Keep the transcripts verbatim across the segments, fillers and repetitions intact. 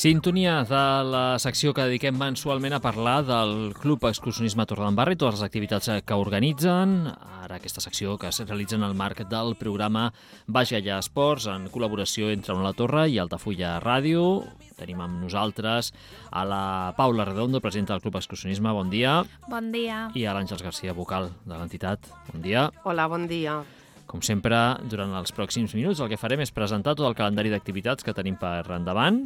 Sintonia de la secció que dediquem mensualment a parlar del Club Excursionisme Torredembarra i totes les activitats que organitzen. Ara aquesta secció que es realitza en el marc del programa Baix Gaià Esports en col·laboració entre Ona la Torre i Altafulla Ràdio. Tenim amb nosaltres a la Paula Redondo, presidenta del Club Excursionisme. Bon dia. Bon dia. I a l'Àngels Garcia, vocal de l'entitat. Bon dia. Hola, bon dia. Com sempre, durant els pròxims minuts el que farem és presentar tot el calendari d'activitats que tenim per endavant.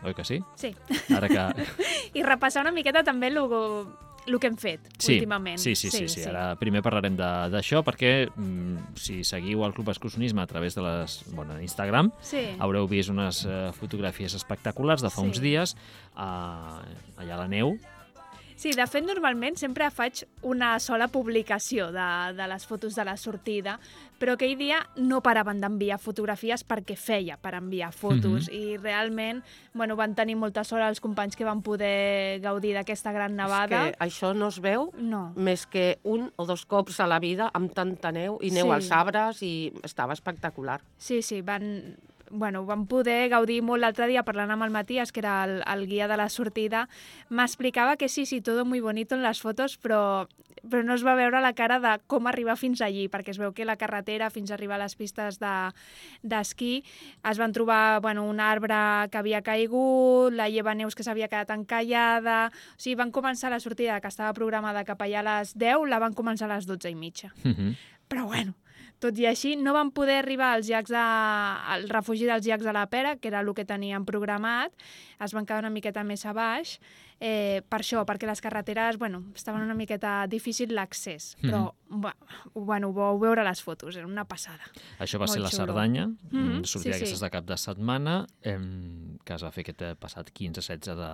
Oi que sí? Sí. Ara que... I repassar una miqueta també el, el que hem fet sí, últimament. Sí, sí, sí, sí, sí. Ara primer parlarem d'això perquè mm, si seguiu el Club Excursionisme a través de les, bueno, Instagram, sí. haureu vist unes uh, fotografies espectaculars de fa sí. uns dies uh, allà a la neu. Sí, de fet, normalment sempre faig una sola publicació de, de les fotos de la sortida, però aquell dia no paraven d'enviar fotografies perquè feia per enviar fotos. Mm-hmm. I realment bueno, van tenir molta sort els companys que van poder gaudir d'aquesta gran nevada. És que això no es veu no. més que un o dos cops a la vida amb tanta neu i neu sí. als arbres i estava espectacular. Sí, sí, van... Bueno, vam poder gaudir molt l'altre dia parlant amb el Matías, que era el, el guia de la sortida. M'explicava que sí, sí, todo muy bonito en les fotos, però, però no es va veure la cara de com arribar fins allí, perquè es veu que la carretera fins a arribar a les pistes d'esquí de, es van trobar bueno, un arbre que havia caigut, la lleva neus que s'havia quedat encallada... O sigui, van començar la sortida que estava programada cap allà a les deu, la van començar a les dotze i mitja. Mm-hmm. Però bueno... Tot i així, no van poder arribar als llacs de, al refugi dels llacs de la Pera, que era el que teníem programat, es van quedar una miqueta més a baix, eh, per això, perquè les carreteres, bueno, estaven una miqueta difícil l'accés, però, mm-hmm. bueno, ho vau veure a les fotos, era una passada. Això va Molt ser la xulo. Cerdanya, mm-hmm. sortir sí, d'aquestes sí. de cap de setmana, eh, que es va fer aquest passat quinze setze de,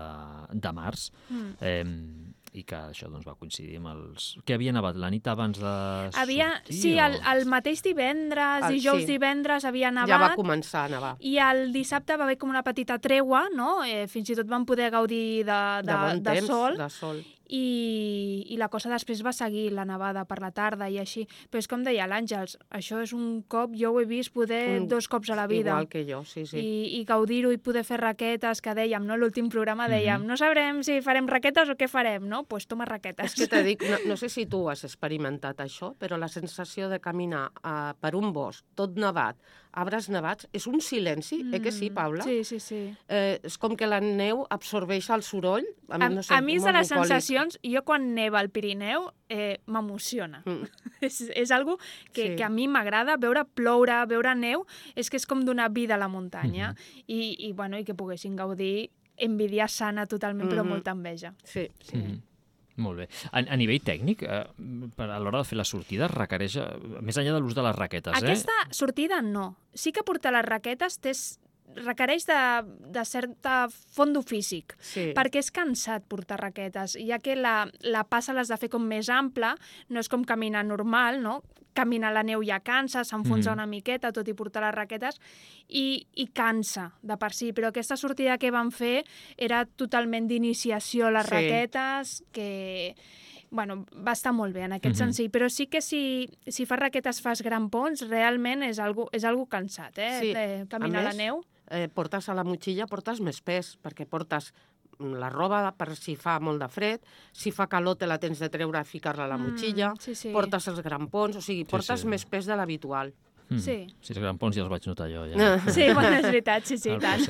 de març, mm. eh, i que això doncs, va coincidir amb els... Que havia nevat la nit abans de havia, sortir? Sí, o... el, el mateix divendres, el, dijous, sí. divendres havia nevat. Ja va començar a nevar. I el dissabte va haver com una petita tregua, no? Eh, fins i tot van poder gaudir de, de, de, bon de temps, sol. de sol. I, i la cosa després va seguir, la nevada per la tarda i així. Però és com deia l'Àngels, això és un cop, jo ho he vist poder un, dos cops a la vida. Igual que jo, sí, sí. I, i gaudir-ho i poder fer raquetes, que dèiem, no? L'últim programa dèiem, mm-hmm. no sabrem si farem raquetes o què farem, no? Doncs pues toma raquetes. És que te dic, no, no sé si tu has experimentat això, però la sensació de caminar uh, per un bosc tot nevat, arbres nevats, és un silenci, mm. eh que sí, Paula? Sí, sí, sí. Eh, és com que la neu absorbeix el soroll. A, a, no sé, a mi és de les bucòlic. sensacions, jo quan neva al Pirineu eh, m'emociona. Mm. és, és algo que, sí. que a mi m'agrada, veure ploure, veure neu, és que és com donar vida a la muntanya. Mm-hmm. I, i, bueno, i que poguessin gaudir, envidia sana totalment, mm-hmm. però molta enveja. Sí, sí. Mm-hmm. Molt bé. A, a nivell tècnic, eh, per a l'hora de fer la sortida, requereix, eh, més enllà de l'ús de les raquetes, eh? Aquesta sortida no. Sí que portar les raquetes té, requereix de, de certa fondo físic, sí. perquè és cansat portar raquetes, ja que la, la passa l'has de fer com més ampla, no és com caminar normal, no? Caminar a la neu ja cansa, s'enfonsa mm. una miqueta, tot i portar les raquetes, i, i cansa de per si. Però aquesta sortida que vam fer era totalment d'iniciació a les sí. raquetes, que bueno, va estar molt bé en aquest mm-hmm. sentit. Però sí que si, si fas raquetes, fas grampons, realment és algo, és algo cansat, eh? Sí. De caminar a, més, a la neu. Eh, portes a la motxilla, portes més pes, perquè portes la roba per si fa molt de fred, si fa calor te la tens de treure i ficar-la a la motxilla, mm, sí, sí. portes els grampons, o sigui, portes sí, sí. més pes de l'habitual. Mm. Sí. Si els grampons ja els vaig notar jo. Ja. Sí, bueno, és veritat, sí, sí, tant.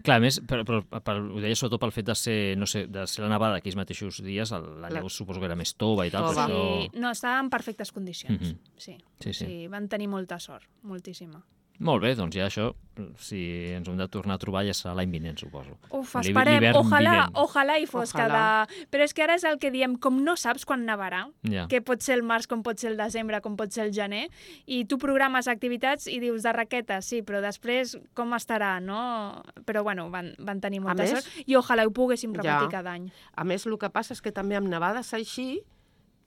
Clar, a més, però, però, però, ho deia sobretot pel fet de ser, no sé, de ser la nevada aquells mateixos dies, el, la neu suposo que era més tova i tal, Tova. però això... Sí, no, estava en perfectes condicions, mm-hmm. sí. Sí, sí. Sí, van tenir molta sort, moltíssima. Molt bé, doncs ja això, si ens hem de tornar a trobar ja serà l'any vinent, suposo. Uf, esperem, ojalà, ojalà hi fos ojalà. cada... Però és que ara és el que diem, com no saps quan nevarà, ja. que pot ser el març, com pot ser el desembre, com pot ser el gener, i tu programes activitats i dius de raquetes, sí, però després com estarà, no? Però bueno, van, van tenir molta més, sort i ojalà ho poguéssim repetir ja. cada any. A més, el que passa és que també amb nevades així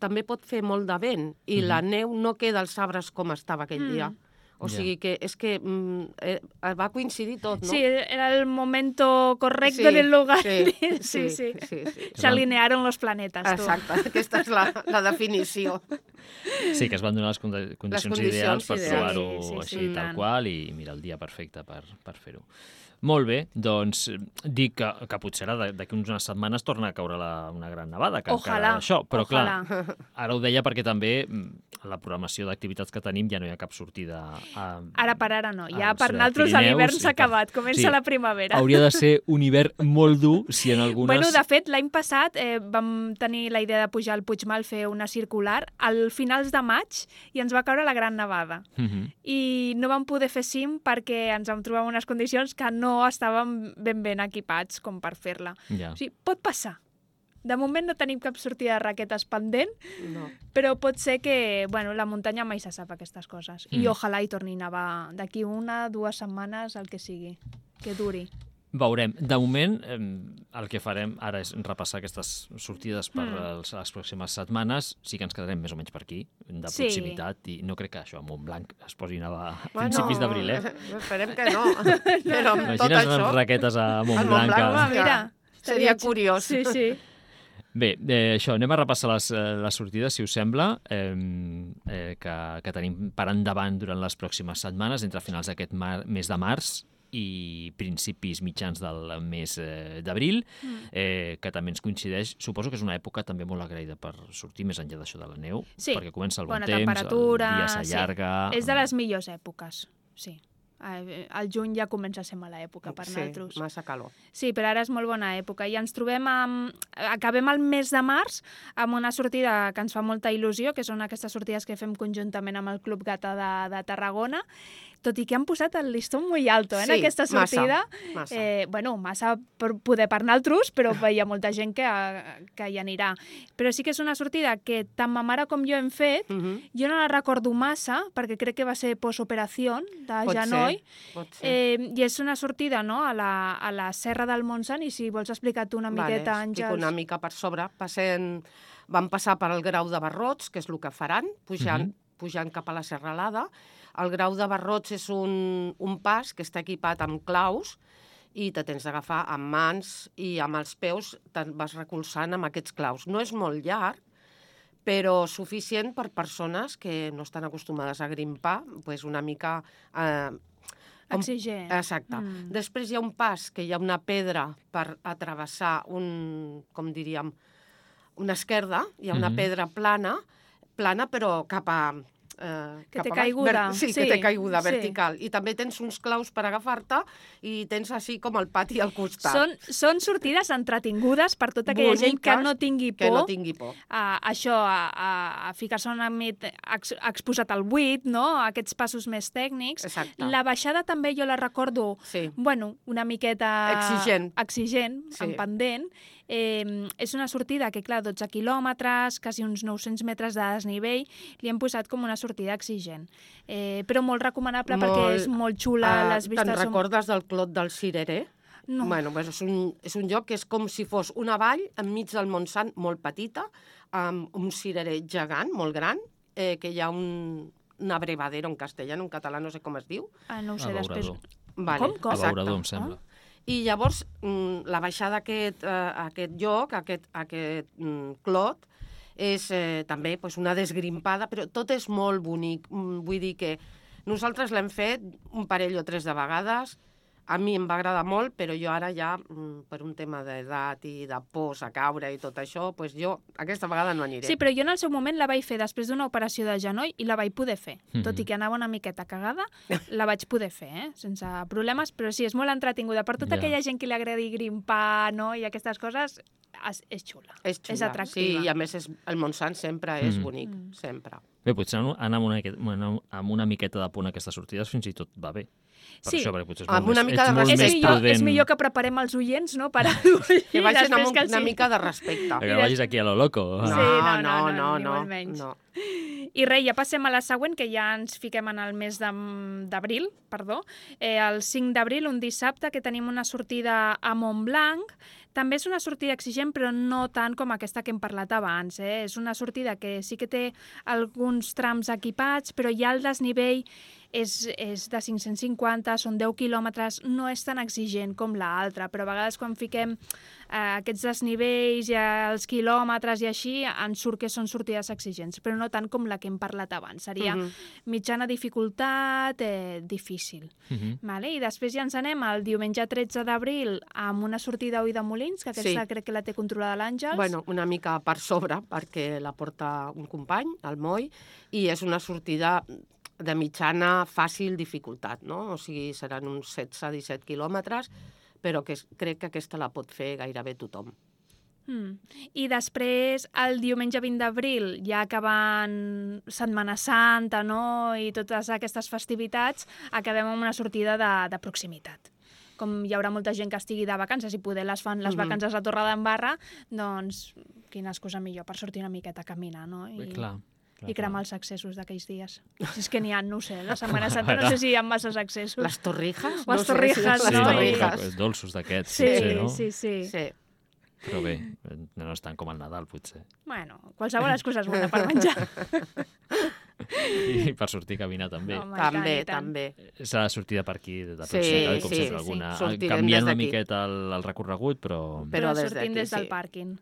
també pot fer molt de vent i mm-hmm. la neu no queda als arbres com estava aquell mm. dia. O sigui que és que mm, eh, va coincidir tot, no? Sí, era el momento correcto sí, en el lugar. Sí, sí, sí. sí, sí, sí. Se alinearon los planetes. Exacte, tu. Aquesta és la, la definició. Sí, que es van donar les condicions, les condicions ideals per ideals. trobar-ho sí, sí, així sí, tal tant. qual i mira el dia perfecte per, per fer-ho. Molt bé, doncs dic que, que potser ara d'aquí unes setmanes torna a caure la, una gran nevada, que Ojalà, encara això, però ojalà. clar, ara ho deia perquè també a la programació d'activitats que tenim ja no hi ha cap sortida. A, Ara per ara no, ja als, per eh, nosaltres Pirineus l'hivern i s'ha tal. acabat, comença Sí. la primavera. Hauria de ser un hivern molt dur si en algunes... Bueno, de fet, l'any passat eh, vam tenir la idea de pujar al Puigmal, fer una circular, al finals de maig, i ens va caure la gran nevada. Mhm. I no vam poder fer cim perquè ens vam trobar en unes condicions que no estàvem ben ben equipats com per fer-la. Ja. O sigui, pot passar. De moment no tenim cap sortida de raquetes pendent, No. però pot ser que, bueno, la muntanya mai se sap aquestes coses. I Mm. ojalà hi torni a nevar d'aquí una, dues setmanes, el que sigui, que duri. Veurem. De moment, eh, el que farem ara és repassar aquestes sortides per Mm. els, les pròximes setmanes. Sí que ens quedarem més o menys per aquí, de Sí. proximitat, i no crec que això a Montblanc es posi a nevar a Bueno, principis d'abril, eh? Esperem que no. Però amb tot Imagines això... les raquetes a Montblanc. Montblanc, a- Ah, mira, Seria estaria- curiós. Sí, sí. Bé, eh, això, anem a repassar les, eh, les sortides, si us sembla, eh, eh, que, que tenim per endavant durant les pròximes setmanes, entre finals d'aquest mar- mes de març i principis mitjans del mes eh, d'abril, eh, que també ens coincideix. Suposo que és una època també molt agraïda per sortir més enllà d'això de la neu, Sí, perquè comença el bon bona temps, temperatura, el dia sí. s'allarga... És de les millors èpoques, sí. Eh, El juny ja comença a ser mala època per Sí, nosaltres. massa calor. Sí, però ara és molt bona època i ens trobem amb... Acabem el mes de març amb una sortida que ens fa molta il·lusió, que són aquestes sortides que fem conjuntament amb el Club Gata de, de Tarragona, tot i que han posat el listó molt alto, eh, en Sí, aquesta massa, sortida. massa. Eh, bueno, massa per poder per nosaltres, però hi ha molta gent que, que hi anirà. Però sí que és una sortida que tant ma mare com jo hem fet. Mhm. Jo no la recordo massa, perquè crec que va ser postoperació de Pot genoll. ser, pot ser. Eh, I és una sortida, no?, a la, a la Serra del Montsant, i si vols explicar tu una miqueta, vale, explico Àngels. una mica per sobre. Passem, vam passar per al Grau de Barrots, que és el que faran, pujant, Mhm. pujant cap a la Serralada. El Grau de Barrots és un, un pas que està equipat amb claus i te tens d'agafar amb mans i amb els peus te'n vas recolzant amb aquests claus. No és molt llarg, però suficient per persones que no estan acostumades a grimpar, pues una mica... Eh, com- Exigent. Exacte. Mm. Mm. Després hi ha un pas que hi ha una pedra per atravessar un, com diríem, una esquerda, hi ha una Mhm. pedra plana, plana però cap a... Eh, Que cap té a baix. caiguda, sí, sí, que té caiguda sí. vertical. I també tens uns claus per agafar-te i tens així com el pati al costat. Són, són sortides entretingudes per tota aquella gent que Boniques, no tingui por. Que no tingui por. A, això, a, a, a ficar-se una mica ex, exposat al buit, no?, aquests passos més tècnics. Exacte. La baixada també jo la recordo, Sí. bueno, una miqueta... Exigent. Exigent, Sí. en pendent. Eh, és una sortida que, clar, dotze quilòmetres, quasi uns nou-cents metres de desnivell, li hem posat com una sortida exigent. Eh, però molt recomanable Molt, perquè és molt xula, Ah, les vistes Te'n són... recordes del Clot del Cirerer? No. Bueno, pues és, un, és un lloc que és com si fos una vall enmig del Montsant molt petita, amb un cirerer gegant, molt gran, eh, que hi ha un, un abrevadero en castellà, en català no sé com es diu. Ah, no ho sé, Abeurador. després... Vale, Com, com? exacte. Abeurador, em sembla. I llavors, mm, la baixada a aquest, eh, a aquest lloc, a aquest, a aquest mm, clot, és eh, també pues, una desgrimpada, però tot és molt bonic. Mm, vull dir que nosaltres l'hem fet un parell o tres de vegades. A mi em va agradar molt, però jo ara ja, mm, per un tema d'edat i de pors a caure i tot això, pues jo aquesta vegada no aniré. Sí, però jo en el seu moment la vaig fer després d'una operació de genoll i la vaig poder fer. Mhm. Tot i que anava una miqueta cagada, la vaig poder fer, eh? Sense problemes, però sí, és molt entretinguda. Per tota Ja. aquella gent que li agradi grimpar, no?, i aquestes coses, és, és xula. És xula. És atractiva. Sí, i a més és, el Montsant sempre és Mm. bonic, Mm. sempre. Bé, potser anar amb una, bueno, amb una miqueta de punt a aquestes sortides fins i tot va bé. Per Sí. això, perquè potser és Amb molt una més, mica ets de molt És més millor, prudent. és millor que preparem els oients, no?, per anar-ho Que vagin amb, un, que una sí. mica de respecte. Que no vagis aquí a lo loco. Sí, No, no, no, no, no, no, ni no, molt menys. no. I res, ja passem a la següent, que ja ens fiquem en el mes de- d'abril, perdó. Eh, el cinc d'abril, un dissabte, que tenim una sortida a Montblanc. També és una sortida exigent, però no tant com aquesta que hem parlat abans. Eh? És una sortida que sí que té alguns trams equipats, però ja el desnivell és, és de cinc-cents cinquanta, són deu quilòmetres, no és tan exigent com l'altra, però a vegades quan fiquem eh, aquests desnivells i els quilòmetres i així, ens surt que són sortides exigents, però no tant com la que hem parlat abans. Seria uh -huh. mitjana dificultat, eh, difícil. Uh -huh. vale? I després ja ens anem el diumenge tretze d'abril amb una sortida a Ulldemolins, que aquesta sí. crec que la té controlada l'Àngels. Bueno, una mica per sobre, perquè la porta un company, el Moi, i és una sortida de mitjana fàcil dificultat, no? O sigui, seran uns setze disset quilòmetres, però que crec que aquesta la pot fer gairebé tothom. Mm. I després, el diumenge vint d'abril, ja acabant Setmana Santa, no?, i totes aquestes festivitats, acabem amb una sortida de, de proximitat. Com hi haurà molta gent que estigui de vacances i poder les fan les mm-hmm. vacances a Torredembarra, doncs quina excusa millor per sortir una miqueta a caminar, no? I... Bé, clar. I cremar els accessos d'aquells dies. Si és que n'hi ha, no ho sé, la Setmana Santa no sé si hi ha masses accessos. Les torrijas? Les torrijas, no sé si no? Sí, torrijas. dolços d'aquests, sí, potser, no? Sí, sí, sí. Però bé, no és tant com el Nadal, potser. Bueno, qualsevol excusa és bona per menjar. I per sortir a caminar també. Home, també, tant, també. Serà sortida per aquí, de Sí, proximitat, com sí, sempre, sí. alguna... Sortirem Canviant des una d'aquí. miqueta el, el recorregut, però... Però Però des sortim d'aquí, des del sí. pàrquing.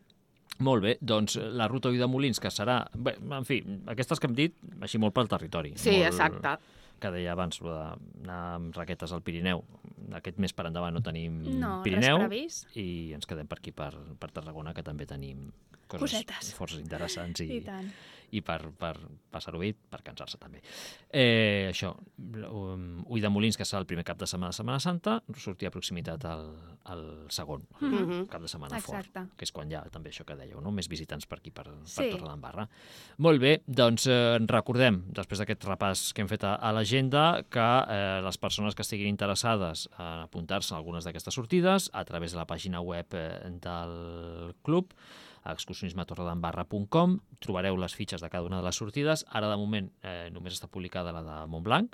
Molt bé, doncs la ruta Ulldemolins, que serà... Bé, en fi, aquestes que hem dit, així molt pel territori. Sí, molt, exacte. Que deia abans, d'anar amb raquetes al Pirineu. Aquest mes per endavant no tenim No, Pirineu. res previst. I ens quedem per aquí, per, per Tarragona, que també tenim coses Cosetes. força interessants i, I tant. i per, per passar-ho bé, per cansar-se també. Eh, això, um, Ulldemolins, que serà el primer cap de setmana de Setmana Santa, sortir a proximitat al, al segon, el Mhm. cap de setmana Exacte. fort, que és quan hi ha també això que dèieu, no? Més visitants per aquí, per, per Sí. Torredembarra. Molt bé, doncs eh, recordem, després d'aquest repàs que hem fet a, a l'agenda, que eh, les persones que estiguin interessades en apuntar-se a algunes d'aquestes sortides, a través de la pàgina web eh, del club, a excursionisme torredembarra punt com, trobareu les fitxes de cada una de les sortides. Ara, de moment, eh, només està publicada la de Montblanc.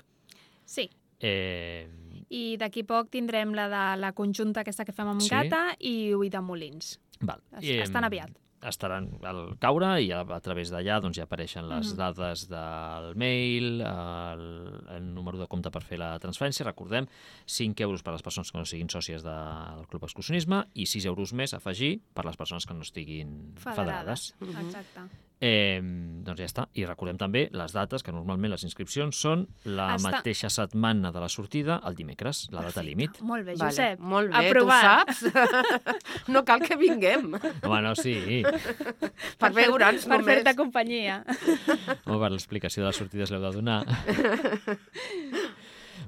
Sí. Eh, I d'aquí poc tindrem la de la conjunta aquesta que fem amb Sí. Gata i Ulldemolins. val. Es- Eh, estan aviat. Estaran al caure i a, a través d'allà doncs, ja apareixen les Mhm. dades del mail, el, el número de compte per fer la transferència. Recordem, cinc euros per a les persones que no siguin sòcies del Club Excursionisme i sis euros més a afegir per a les persones que no estiguin federades. Federades. Mhm. Exacte. Eh, doncs ja està. I recordem també les dates, que normalment les inscripcions són la Està- mateixa setmana de la sortida, el dimecres, la data límit. Molt bé, Vale, Josep. molt bé, Aprovat. tu saps? No cal que vinguem Home, no, sí. per veure'ns Per només. fer-te companyia. Home, per l'explicació de les sortides l'heu de donar.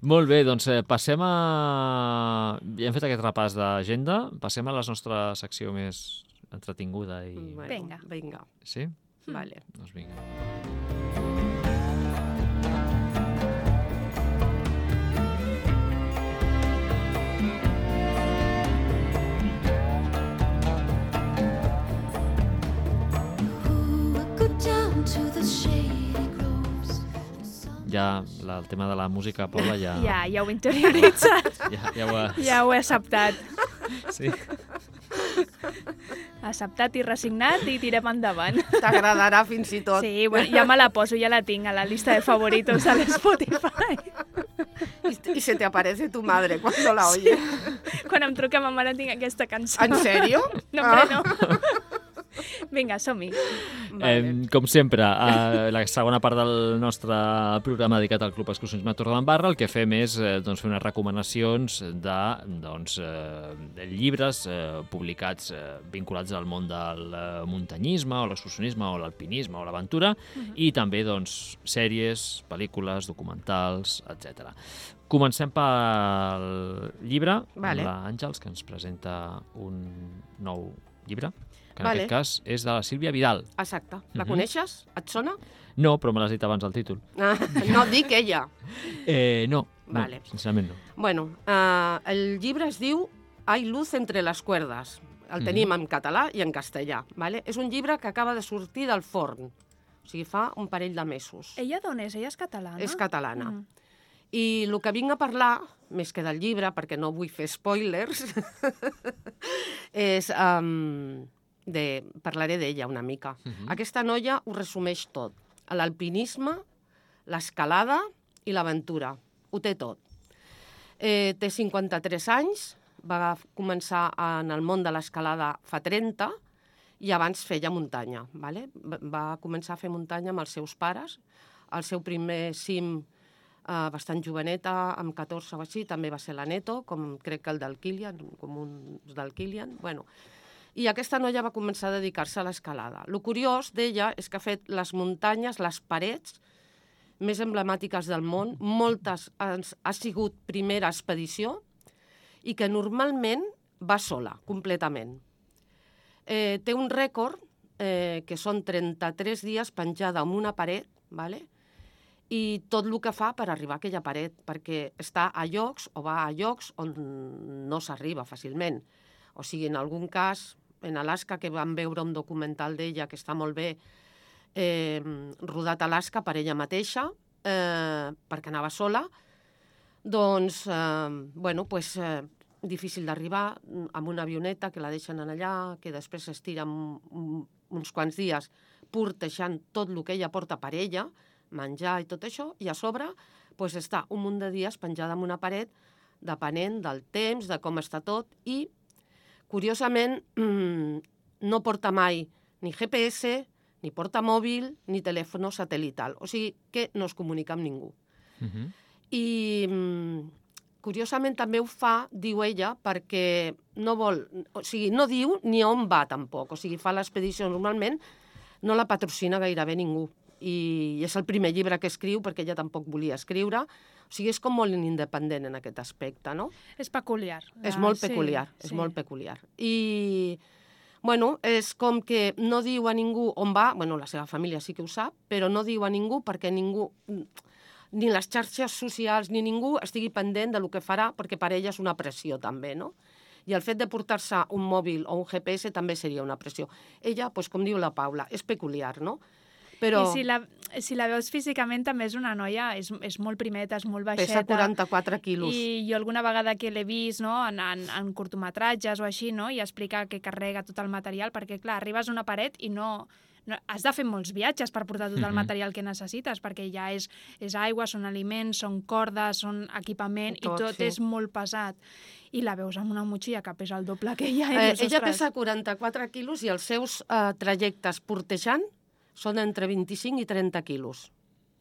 Molt bé, doncs eh, passem a... Ja hem fet aquest repàs d'agenda, passem a la nostra secció més entretinguda i... Bueno, Vinga. Vinga, Sí? vale. Doncs vinga. Ja la, el tema de la música, Paula, ja... Ja, ja ho he interioritzat. Ja, ja ho has... Ja ho he acceptat. Sí. Acceptat i resignat i tirem endavant. T'agradarà fins i tot. Sí, bueno, ja me la poso, ja la tinc a la lista de favoritos de l'Spotify. Y, y se te aparece tu madre cuando la oye. Quan em truca ma mare tinc aquesta cançó. ¿En serio? No, hombre, no. Vinga, som-hi. Vale. Eh, com sempre, a la segona part del nostre programa dedicat al Club Excursionisme Torredembarra, el que fem és eh, doncs, fer unes recomanacions de doncs, eh, llibres eh, publicats eh, vinculats al món del eh, muntanyisme, o l'excursionisme, o l'alpinisme, o l'aventura, uh-huh. i també doncs, sèries, pel·lícules, documentals, etcètera. Comencem pel llibre, Vale. amb l'Àngels, que ens presenta un nou llibre, que en Vale. aquest cas és de la Sílvia Vidal. Exacte. La Mhm. coneixes? Et sona? No, però me l'has dit abans el títol. Ah, no, dic ella. Eh, no, Vale. no, sincerament no. Bueno, uh, el llibre es diu Hay luz entre las cuerdas. El Mhm. tenim en català i en castellà. Vale? És un llibre que acaba de sortir del forn. O sigui, fa un parell de mesos. Ella d'on és? Ella és catalana? És catalana. Mm. I el que vinc a parlar, més que del llibre, perquè no vull fer spoilers, és... Um, de, parlaré d'ella una mica. Mhm. Aquesta noia ho resumeix tot. L'alpinisme, l'escalada i l'aventura. Ho té tot. Eh, té cinquanta-tres anys, va començar en el món de l'escalada fa trenta i abans feia muntanya. Vale? Va començar a fer muntanya amb els seus pares. El seu primer cim eh, bastant joveneta, amb catorze o així, també va ser la Neto, com crec que el del Kilian, com un del Kilian. Bueno, i aquesta noia va començar a dedicar-se a l'escalada. El curiós d'ella és que ha fet les muntanyes, les parets més emblemàtiques del món, moltes ha sigut primera expedició i que normalment va sola, completament. Eh, té un rècord eh, que són trenta-tres dies penjada en una paret, vale? I tot el que fa per arribar a aquella paret, perquè està a llocs o va a llocs on no s'arriba fàcilment. O sigui, en algun cas, en Alaska, que vam veure un documental d'ella que està molt bé, eh, rodat a Alaska per ella mateixa, eh, perquè anava sola, doncs, eh, bueno, pues, eh, difícil d'arribar amb una avioneta que la deixen allà, que després s'estira uns quants dies portejant tot el que ella porta per ella, menjar i tot això, i a sobre pues, està un munt de dies penjada en una paret, depenent del temps, de com està tot, i curiosament no porta mai ni G P S, ni porta mòbil, ni telèfon satelital. O sigui que no es comunica amb ningú. Uh-huh. I curiosament també ho fa, diu ella, perquè no vol, o sigui, no diu ni on va tampoc. O sigui, fa l'expedició normalment, no la patrocina gairebé ningú. I és el primer llibre que escriu, perquè ella tampoc volia escriure. O sigui, és com molt independent en aquest aspecte, no? És peculiar. És molt peculiar, sí, és sí. molt peculiar. I, bueno, és com que no diu a ningú on va, bueno, la seva família sí que ho sap, però no diu a ningú perquè ningú, ni les xarxes socials ni ningú estigui pendent del que farà, perquè per ella és una pressió també, no? I el fet de portar-se un mòbil o un G P S també seria una pressió. Ella, doncs, com diu la Paula, és peculiar, no? Però... I si la, si la veus físicament també és una noia, és, és molt primeta, és molt baixeta. Pesa quaranta-quatre quilos. I jo alguna vegada que l'he vist, no, en, en, en curtometratges o així, no, i explica que carrega tot el material, perquè clar, arribes a una paret i no... no has de fer molts viatges per portar tot el material que necessites, perquè ja és, és aigua, són aliments, són cordes, són equipament, tot, i tot sí. és molt pesat. I la veus amb una motxilla que pesa el doble que ella. Eh, dius, ella pesa quaranta-quatre quilos i els seus eh, trajectes portejant són entre vint-i-cinc i trenta quilos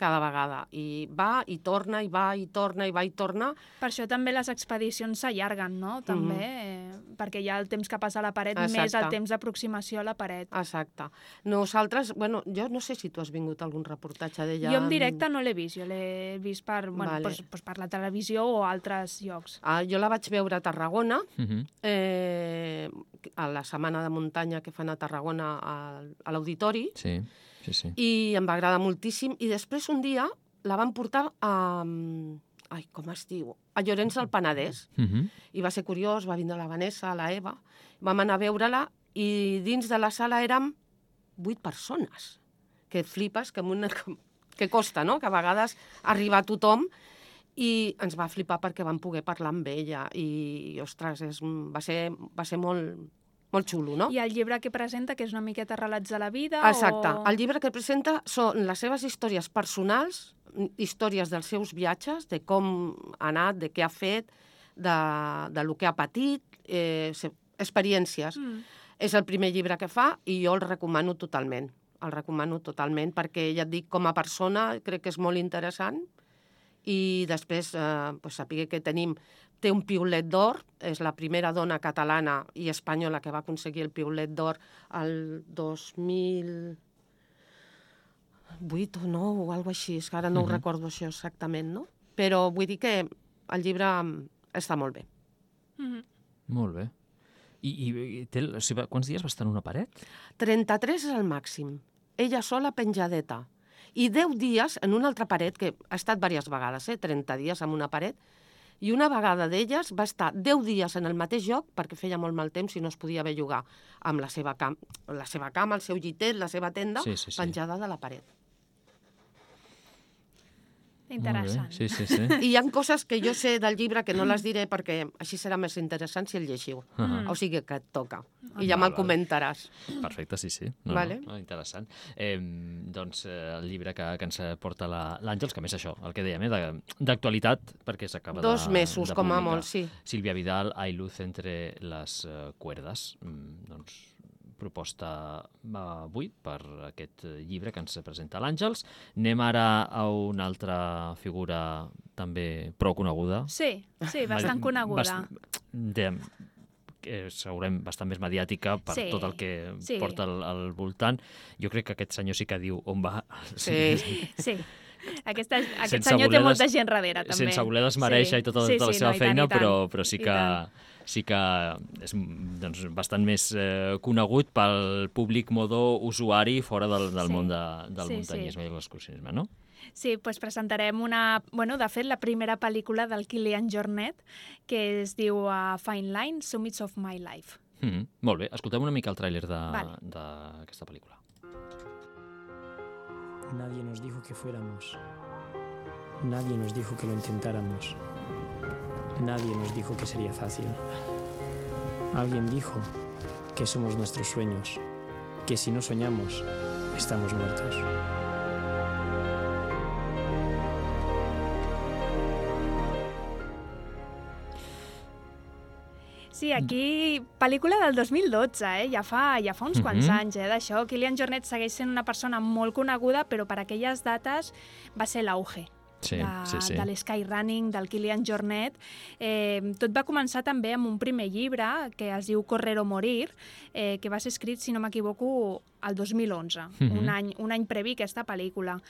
cada vegada. I va i torna, i va i torna, i va i torna. Per això també les expedicions s'allarguen, no? També, mm-hmm. eh, perquè hi ha el temps que passa a la paret, Exacte. més el temps d'aproximació a la paret. Exacte. Nosaltres, bueno, jo no sé si tu has vingut a algun reportatge d'ella. Jo en directe no l'he vist, jo l'he vist per, bueno, vale. pues, pues per la televisió o altres llocs. Ah, jo la vaig veure a Tarragona, mm-hmm. eh, a la setmana de muntanya que fan a Tarragona a, a l'auditori. Sí. Sí, sí. I em va agradar moltíssim. I després un dia la van portar a... Ai, com es diu? A Llorenç del Penedès. Uh-huh. I va ser curiós, va vindre la Vanessa, la Eva, vam anar a veure-la i dins de la sala érem vuit persones. Que et flipes, que, una... que costa, no? Que a vegades arriba a tothom i ens va flipar perquè vam poder parlar amb ella. I, ostres, és... va ser, va ser molt... molt xulo, no? I el llibre que presenta, que és una miqueta relats de la vida? Exacte. O... El llibre que presenta són les seves històries personals, històries dels seus viatges, de com ha anat, de què ha fet, de, de lo que ha patit, eh, experiències. Mm. És el primer llibre que fa i jo el recomano totalment. El recomano totalment perquè, ja et dic, com a persona crec que és molt interessant i després eh, pues, saber que tenim té un piulet d'or, és la primera dona catalana i espanyola que va aconseguir el piulet d'or el dos mil vuit o nou o alguna cosa així, és que ara no uh-huh. ho recordo això exactament, no? Però vull dir que el llibre està molt bé. Uh-huh. Molt bé. I, i té, o sigui, quants dies va estar en una paret? trenta-tres és el màxim. Ella sola penjadeta. I deu dies en una altra paret, que ha estat diverses vegades, eh? trenta dies en una paret, i una vegada d'elles va estar deu dies en el mateix lloc perquè feia molt mal temps i no es podia bellugar amb la seva, cam la seva cama, el seu llitet, la seva tenda, sí, sí, sí. penjada de la paret. Interessant. Sí, sí, sí. I hi ha coses que jo sé del llibre que no les diré perquè així serà més interessant si el llegiu. Uh -huh. O sigui que et toca. I ja Val, me'l val. comentaràs. Perfecte, sí, sí. No, Vale. no, interessant. Eh, doncs eh, el llibre que, que ens porta la- l'Àngels, que a més això, el que dèiem, eh, d'actualitat, perquè s'acaba de Dos mesos, de com a publicar. molt, sí. Sílvia Vidal, Hay luz entre les eh, cuerdas. Mm, doncs proposta avui per aquest llibre que ens presenta l'Àngels. Anem ara a una altra figura també prou coneguda. Sí, sí, bastant coneguda. Bast... De, que segurament bastant més mediàtica per Sí, tot el que sí. porta al, al voltant. Jo crec que aquest senyor sí que diu on va. Sí. Sí. Aquesta, aquest Sense senyor té voler molta des- gent darrere, també. Sense voler desmereixer i tota, sí, tota la sí, seva no, i tant, feina, i tant, però, però sí i que, tant. sí que és doncs, bastant més eh, conegut pel públic modó usuari fora del, del Sí. món de, del Sí, muntanyisme i l'excursionisme, no? Sí, doncs presentarem una... Bueno, de fet, la primera pel·lícula del Kilian Jornet, que es diu uh, Fine Line, Summits of My Life. Mm -hmm. Molt bé, escoltem una mica el tràiler Vale. d'aquesta pel·lícula. Nadie nos dijo que fuéramos. Nadie nos dijo que lo intentáramos. Nadie nos dijo que sería fácil. Alguien dijo que somos nuestros sueños, que si no soñamos, estamos muertos. Sí, aquí, pel·lícula del dos mil dotze, eh? ja, fa, ja fa uns Mhm. quants anys eh, d'això. Kilian Jornet segueix sent una persona molt coneguda, però per aquelles dates va ser l'auge. Sí, de, sí, sí. de l'Skyrunning, del Kilian Jornet. Eh, tot va començar també amb un primer llibre que es diu Correr o Morir, eh, que va ser escrit, si no m'equivoco, el dos mil onze, Mhm. un, any, un any previ a aquesta pel·lícula.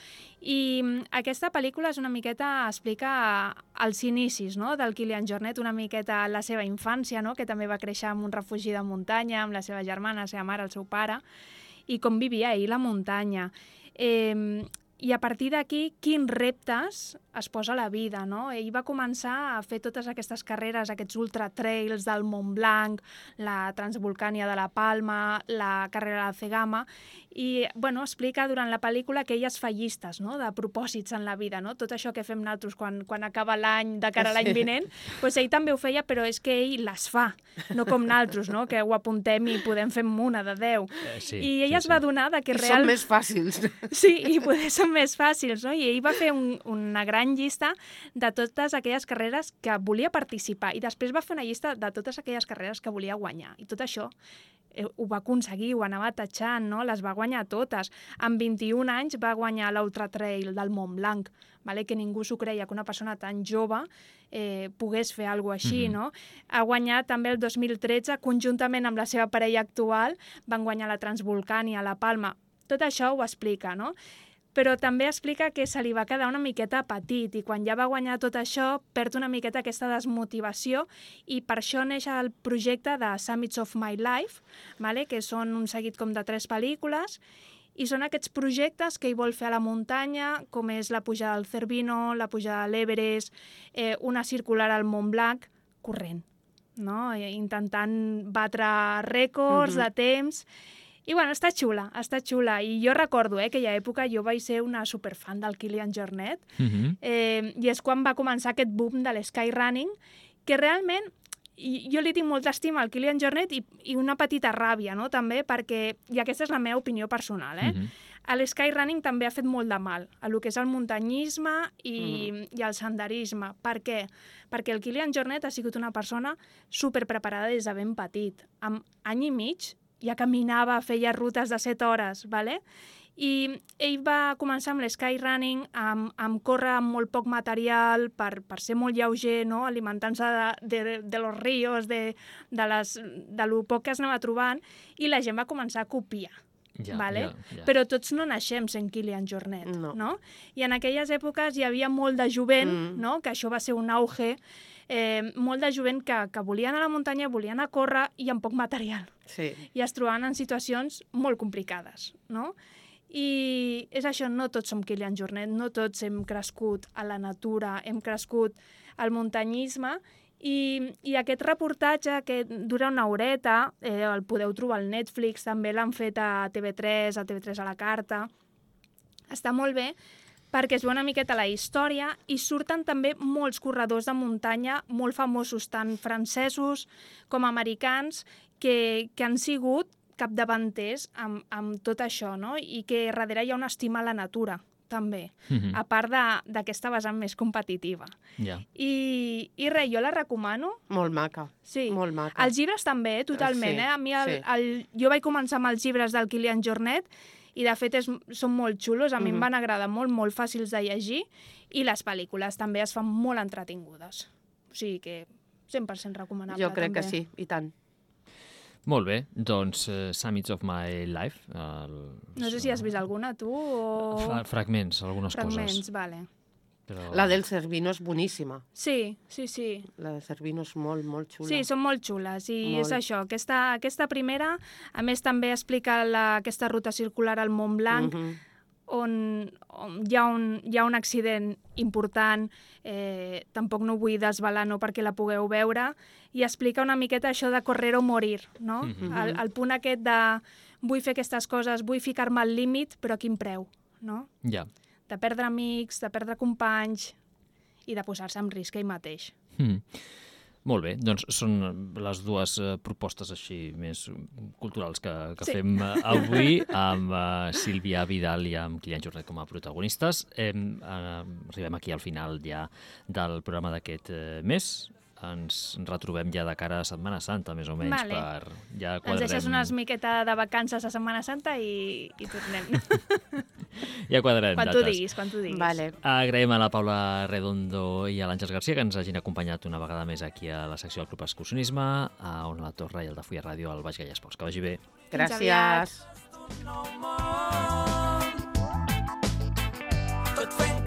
I mm, aquesta pel·lícula és una miqueta, explica els inicis, no?, del Kilian Jornet, una miqueta la seva infància, no?, que també va créixer en un refugi de muntanya, amb la seva germana, la seva mare, el seu pare, i com vivia ell la muntanya. Eh, I a partir d'aquí, quins reptes es posa a la vida, no? Ell va començar a fer totes aquestes carreres, aquests ultratrails del Mont Blanc, la Transvolcània de la Palma, la carrera de la Cegama, i, bueno, explica durant la pel·lícula que ell es fa llistes, no?, de propòsits en la vida, no? Tot això que fem nosaltres quan, quan acaba l'any, de cara a l'any Sí. vinent, doncs ell també ho feia, però és que ell les fa, no com nosaltres, no?, que ho apuntem i podem fer una de deu. Eh, sí, I ell sí, es va sí. adonar de que I real... són més fàcils. Sí, i poder ser més fàcils, no? I ell va fer un, una gran llista de totes aquelles carreres que volia participar i després va fer una llista de totes aquelles carreres que volia guanyar. I tot això eh, ho va aconseguir, ho anava tatxant, no? Les va guanyar totes. Amb vint-i-un anys va guanyar l'Ultra Trail del Mont Blanc, vale? Que ningú s'ho creia, que una persona tan jove eh, pogués fer alguna cosa així, Mhm. no? Ha guanyat també el dos mil tretze, conjuntament amb la seva parella actual, van guanyar la Transvolcània, la Palma. Tot això ho explica, no? Però també explica que se li va quedar una miqueta petit i quan ja va guanyar tot això perd una miqueta aquesta desmotivació i per això neix el projecte de Summits of My Life, vale? Que són un seguit com de tres pel·lícules i són aquests projectes que ell vol fer a la muntanya, com és la pujada del Cervino, la pujada de l'Everest, eh, una circular al Mont Blanc, corrent, no? Eh, intentant batre rècords Mhm. de temps. I bueno, està xula, està xula. I jo recordo eh, que aquella època jo vaig ser una superfan del Kilian Jornet Mhm. eh, i és quan va començar aquest boom de l'skyrunning, que realment i jo li tinc molta estima al Kilian Jornet i, i una petita ràbia, no?, també, perquè, i aquesta és la meva opinió personal, eh? Mhm. El skyrunning també ha fet molt de mal a lo que és el muntanyisme i, Mm. i el senderisme. Per què? Perquè el Kilian Jornet ha sigut una persona superpreparada des de ben petit. Amb any i mig ja caminava, feia rutes de set hores, ¿vale? I ell va començar amb l'skyrunning, amb, amb córrer amb molt poc material, per, per ser molt lleuger, no? Alimentant-se de, de, de los ríos, de, de, les, de lo poc que es anava trobant, i la gent va començar a copiar. Ja, Vale? ja, ja. Però tots no naixem sent Kilian Jornet, No. no? I en aquelles èpoques hi havia molt de jovent, Mm. no? Que això va ser un auge, eh, molt de jovent que, que volien anar a la muntanya, volien anar a córrer i amb poc material. Sí. I es trobaven en situacions molt complicades, no? I és això, no tots som Kilian Jornet, no tots hem crescut a la natura, hem crescut al muntanyisme, i, i aquest reportatge, que dura una horeta, eh, el podeu trobar al Netflix, també l'han fet a T V tres, a T V tres a la carta, està molt bé, perquè es veu una miqueta la història i surten també molts corredors de muntanya molt famosos, tant francesos com americans, que, que han sigut capdavanters amb, amb tot això, no? I que darrere hi ha una estima a la natura, també, Mhm. a part de- d'aquesta vessant més competitiva. Ja. I, i res, jo la recomano. Molt maca, Sí. molt maca. Els llibres també, totalment. Sí, Eh? A mi el, sí. el, jo vaig començar amb els llibres del Kilian Jornet i, de fet, és, són molt xulos. A mi Mhm. em van agradar molt, molt fàcils de llegir. I les pel·lícules també es fan molt entretingudes. O sigui que cent per cent recomanable. Jo crec també. que sí, i tant. Molt bé, doncs uh, Summits of My Life. El... No sé si has vist alguna, tu, o... Fra fragments, algunes Fragments, coses. vale. Però... La del Cervino és boníssima. Sí, sí, sí. La de Cervino és molt, molt xula. Sí, són molt xules i Molt. és això, aquesta, aquesta primera, a més també explica la, aquesta ruta circular al Mont Blanc, Mhm. on, on hi, ha un, hi ha un accident important, eh, tampoc no vull desvelar no perquè la pugueu veure, i explica una miqueta això de correr o morir, no? Mhm. el, el punt aquest de vull fer aquestes coses, vull ficar-me al límit, però a quin preu, no? Ja. De perdre amics, de perdre companys i de posar-se en risc ell mateix. Mm. Molt bé, doncs són les dues eh, propostes així més culturals que, que Sí. fem eh, avui amb eh, Sílvia Vidal i amb Kilian Jornet com a protagonistes. Eh, eh, arribem aquí al final ja del programa d'aquest eh, mes. Ens retrobem ja de cara a Setmana Santa, més o menys, Vale. per ja Ens quadrem... deixes una miqueta de vacances a Setmana Santa i, i tornem. Ja quadrarem quan tu dates. diguis, quan tu diguis. Vale. Agraïm a la Paula Redondo i a l'Àngels Garcia que ens hagin acompanyat una vegada més aquí a la secció del Club Excursionisme, a Ona La Torre i al de Fulla Ràdio al Baix Gaia Esports. Que vagi bé. Fins aviat. Gràcies. Het fent